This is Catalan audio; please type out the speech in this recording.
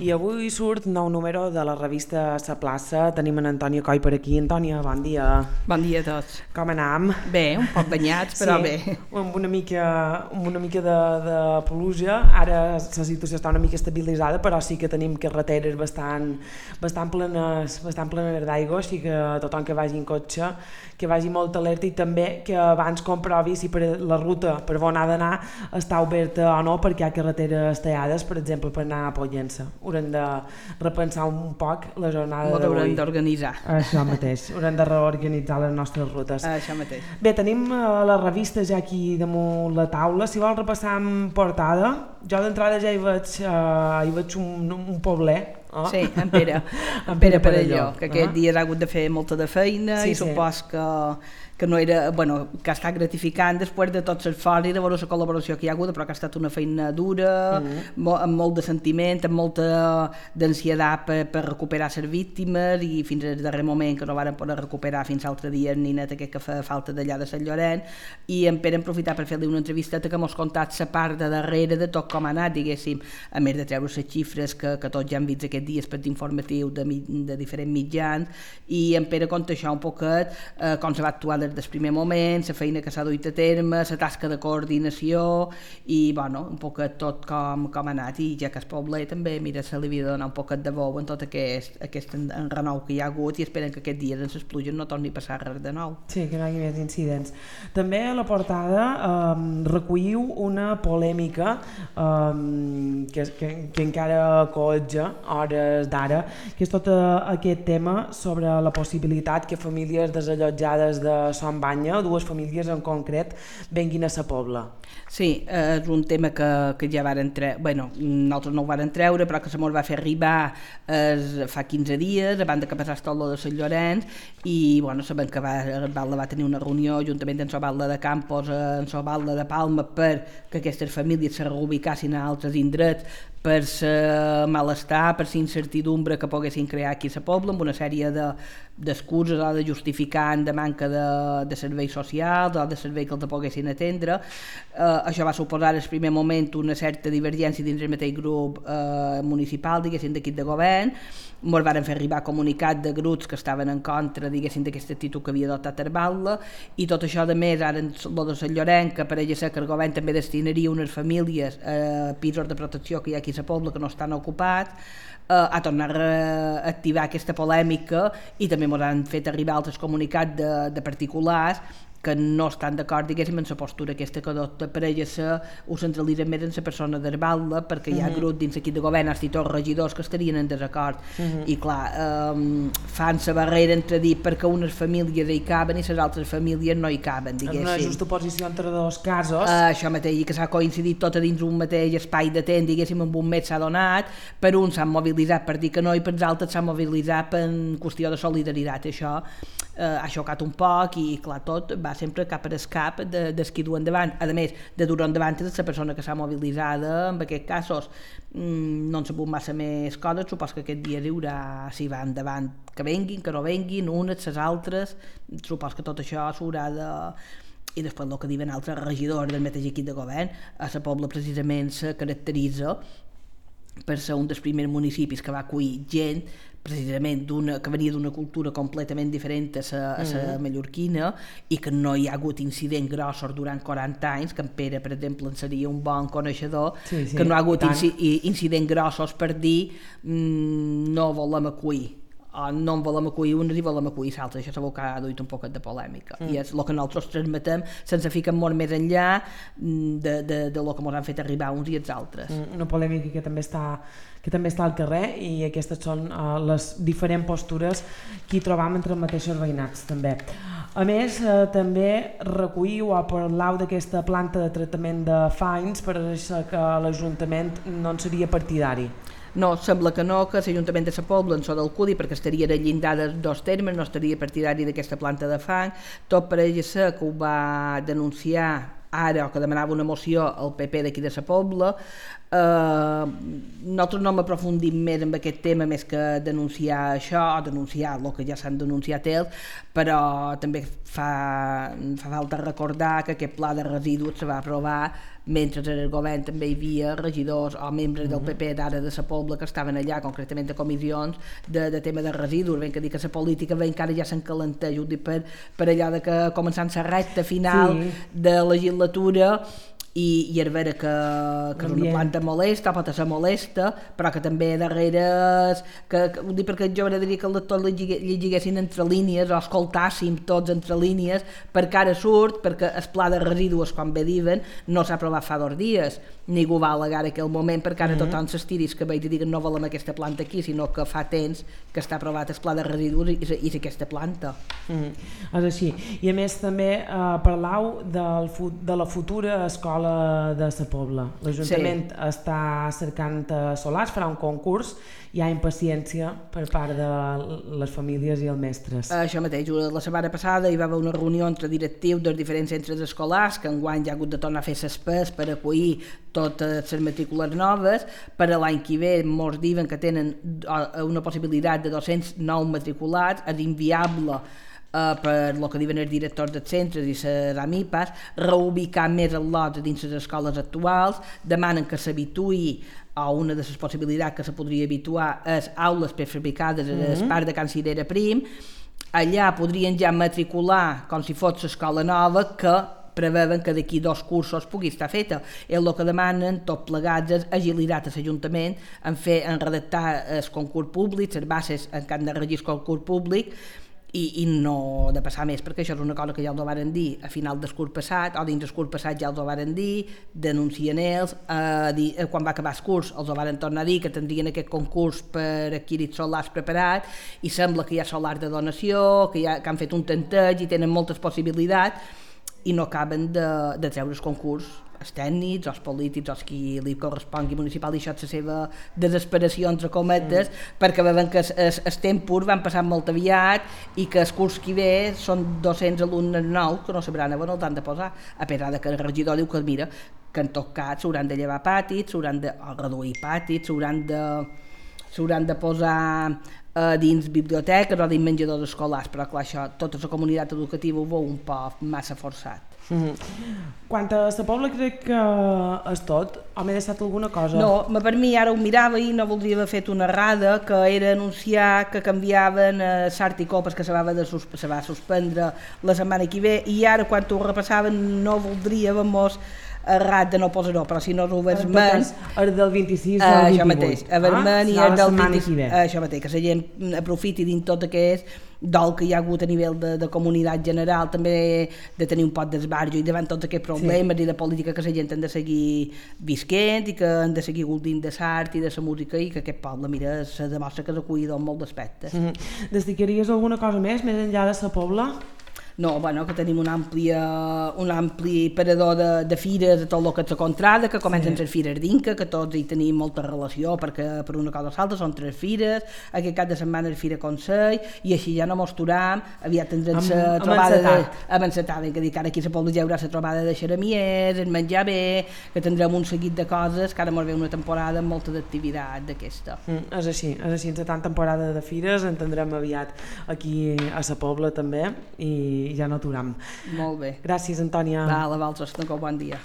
I avui surt nou número de la revista Sa Plaça. Tenim en Antònia Coll per aquí. Antònia, bon dia. Bon dia a tots. Com anam? Bé, un poc banyats, però bé. Amb una mica de pluja. Ara la situació està una mica estabilitzada, però sí que tenim carreteres bastant plenes d'aigua, així que tothom que vagi en cotxe, que vagi molt alerta, i també que abans comprovi si la ruta per on ha d'anar està oberta o no, perquè hi ha carreteres tallades, per exemple, per anar a Pollença. Haurem de repensar un poc la jornada d'avui. Haurem d'organitzar. Això mateix, haurem de reorganitzar les nostres rutes. Això mateix. Bé, tenim la revista ja aquí damunt la taula. Si vol repassar en portada, jo d'entrada ja hi veig un pobler. Oh. Sí, en Pere Perelló, que aquest dia ha hagut de fer molta de feina, i supos que no era, que ha estat gratificant després de tot l'esforç i de veure la col·laboració que hi ha hagut, però que ha estat una feina dura, amb molt de sentiment, amb molta d'ansietat per recuperar les víctimes, i fins al darrer moment que no varen poder recuperar fins l'altre dia ni net aquest que fa falta d'allà de Sant Llorenç. I en Pere hem aprofitat per fer-li una entrevisteta que mos contat la part de darrere de tot com ha anat, diguéssim, a més de treure les xifres que tots ja han vist aquests dies per informatiu de diferents mitjans, i en Pere conta això un poquet, com se va actuar des del primer moment, la feina que s'ha duit a terme, la tasca de coordinació, i un poquet tot com ha anat. I ja que el poble també, mira, se li havia de donar un poquet de bou en tot aquest enrenou que hi ha hagut, i esperen que aquests dies en les pluges no torni a passar res de nou. Sí, que no hi hagi més incidents. També a la portada recolliu una polèmica que encara coetja hores d'ara, que és tot aquest tema sobre la possibilitat que famílies desallotjades de Son Banya, dues famílies en concret, venguin a sa Pobla. Sí, és un tema que ja varen nosaltres no ho varen treure, però que se mos va fer arribar fa 15 dies, abans que passés tot lo de Sant Llorenç, i sabem que Valda va tenir una reunió juntament amb Valda de Campos, amb Valda de Palma, perquè aquestes famílies se reubicassin a altres indrets per el malestar, per la incertidumbre que poguessin crear aquí a la Pobla, amb una sèrie d'excuses o de justificant de manca de serveis socials o de serveis que els poguessin atendre. Això va suposar en el primer moment una certa divergència dins el mateix grup municipal, diguéssim, d'equip de govern. Ens van fer arribar comunicat de grups que estaven en contra, diguéssim, d'aquesta actitud que havia adoptat Valda, i tot això, a més, ara en el de Sant Llorenç, que pareix ser que el govern també destinaria unes famílies a pisos de protecció que hi ha aquí a la Pobla que no estan ocupats, a tornar a activar aquesta polèmica, i també ens han fet arribar altres comunicats de particulars que no estan d'acord, diguéssim, en la postura aquesta que adopta ho centralitza més en la persona d'Valda, perquè hi ha grups dins l'equip de govern, els tots regidors que estarien en desacord, i clar, fan la barrera entre dir perquè unes famílies hi caben i les altres famílies no hi caben, diguéssim. En una justa posició entre dos casos. Això mateix, i que s'ha coincidit tot a dins un mateix espai de temps, diguéssim, en un mes s'ha donat, per uns s'han mobilitzat per dir que no, i per els altres s'han mobilitzat per qüestió de solidaritat. Això ha xocat un poc, i clar, tot va sempre cap a escap dels qui duen davant. A més, de dur endavant és la persona que s'ha mobilitzada. En aquests casos no han sabut massa més coses. Supos que aquest dia hi haurà, si va endavant, que venguin, que no venguin, unes, les altres. Supos que tot això s'haurà de... I després el que diuen altres regidors del mateix equip de govern, a la Pobla precisament se caracteritza per ser un dels primers municipis que va acollir gent precisament que venia d'una cultura completament diferent a la mallorquina, i que no hi ha hagut incidents grossos durant 40 anys, que en Pere, per exemple, en seria un bon coneixedor, que no ha hagut incidents grossos per dir no volem acollir, o no en volem acollir unes i volem acollir l'altre. Això segur que ha duit un poquet de polèmica, i és el que nosaltres transmetem sense ficar molt més enllà de lo que ens han fet arribar uns i els altres. Una polèmica que també està al carrer, i aquestes són les diferents postures que hi trobam entre els mateixos veïnats també. A més, també recolliu o parlau d'aquesta planta de tractament de fangs, per això que l'Ajuntament no en seria partidari. No, sembla que no, que l'Ajuntament de la Pobla en so del CUDI, perquè estaria de llindar de dos termes, no estaria partidari d'aquesta planta de fang. Tot pareix ser que ho va denunciar ara, o que demanava una moció al PP d'aquí de la Pobla, Nosaltres no m'aprofundim més en aquest tema més que denunciar això, denunciar el que ja s'han denunciat ells, però també fa falta recordar que aquest pla de residus se va aprovar mentre en el govern també hi havia regidors o membres del PP d'ara de Sa Pobla que estaven allà, concretament de comissions de tema de residus. Ben que dir que la política encara ja s'encalenteix, ho dic per allò de que començant la recta final de legislatura i és vera que és una planta molesta, pot ser molesta, però que també darrere ho dic perquè jo m'agradaria que els lectors llegiguessin entre línies o escoltàssim tots entre línies, perquè ara surt perquè el pla de residus, com bé diuen, no s'ha aprovat fa 2 dies, ningú va al·legar en aquell moment perquè ara tothom s'estiris que veig i diguen no volem aquesta planta aquí, sinó que fa temps que està aprovat el pla de residus i és aquesta planta. És així. I a més també parlau de la futura escola de Sa Pobla. L'Ajuntament està cercant solars, farà un concurs, hi ha impaciència per part de les famílies i els mestres. Això mateix, la setmana passada hi va haver una reunió entre directius dels diferents centres escolars que enguany ja ha hagut de tornar a fer s'espès per acollir totes les matrícules noves. Per a l'any que ve molts diuen que tenen una possibilitat de 209 matriculats, és inviable per el que diuen els directors dels centres i les AMIPAs, reubicar més els lots dins les escoles actuals, demanen que s'habituï a una de les possibilitats que se podria habituar és aules prefabricades a l'espart de Can Cirera Prim. Allà podrien ja matricular com si fos l'escola nova que preveuen que d'aquí 2 cursos pugui estar feta. El que demanen, tot plegats, és agilitat a l'Ajuntament en redactar el concurs públic, les bases en què han de regir el concurs públic, i no de passar més, perquè això és una cosa que ja els ho varen dir a final del curs passat, o dins del curs passat ja els ho varen dir, denuncien ells, quan va acabar el curs els ho varen tornar a dir que tindrien aquest concurs per adquirir solars preparat, i sembla que hi ha solars de donació, que han fet un tanteig i tenen moltes possibilitats, i no acaben de treure el concurs, els tècnics, els polítics, els qui li correspongui municipal, i això és la seva desesperació, entre cometes, perquè veuen que els tempos van passant molt aviat i que el curs que ve són 200 alumnes nous que no sabran on els han de posar, a pesar que el regidor diu que mira, que en tot cas s'hauran de llevar patis, s'hauran de reduir patis, s'hauran de posar dins biblioteques o dins menjadors escolars, però clar, això, tota la comunitat educativa ho veu un poc massa forçat. Quant a Sa Pobla crec que és tot, o m'he deixat alguna cosa? No, per mi ara ho mirava i no voldria haver fet una errada, que era anunciar que canviaven Sart i Copes, que se va suspendre la setmana que ve, i ara quan ho repassaven no voldria errat de no posar-ho, però si no ho veig més... El del 26 al 28. Això mateix, a Vermell i el del 26. Això mateix, que la gent aprofiti dins tot aquest dol que hi ha hagut a nivell de comunitat general, també de tenir un pot d'esbarjo i davant tots aquests problemes i de política que la gent han de seguir visquent i que han de seguir gaudint de l'art i de la música, i que aquest poble, mira, se demostra que és acollidor en molts aspectes. Destacaries alguna cosa més enllà de Sa Pobla? No, bueno, que tenim un ampli parador de fires de tot el que és la contrada, que comencen les fires d'Inca, que tots hi tenim molta relació, perquè per una cosa o l'altra són 3 fires, aquest cap de setmana és Fira Consell, i així ja no mos turam, aviat tindrem la trobada avançatada, que dic, ara aquí a la Pobla hi haurà la trobada de xeramiers, el menjar bé, que tindrem un seguit de coses, que ara mos ve una temporada amb molta d'activitat d'aquesta. És així, en tant temporada de fires en tindrem aviat aquí a Sa Pobla també, i ja no aturam. Molt bé. Gràcies, Antònia. A vosaltres, bon dia.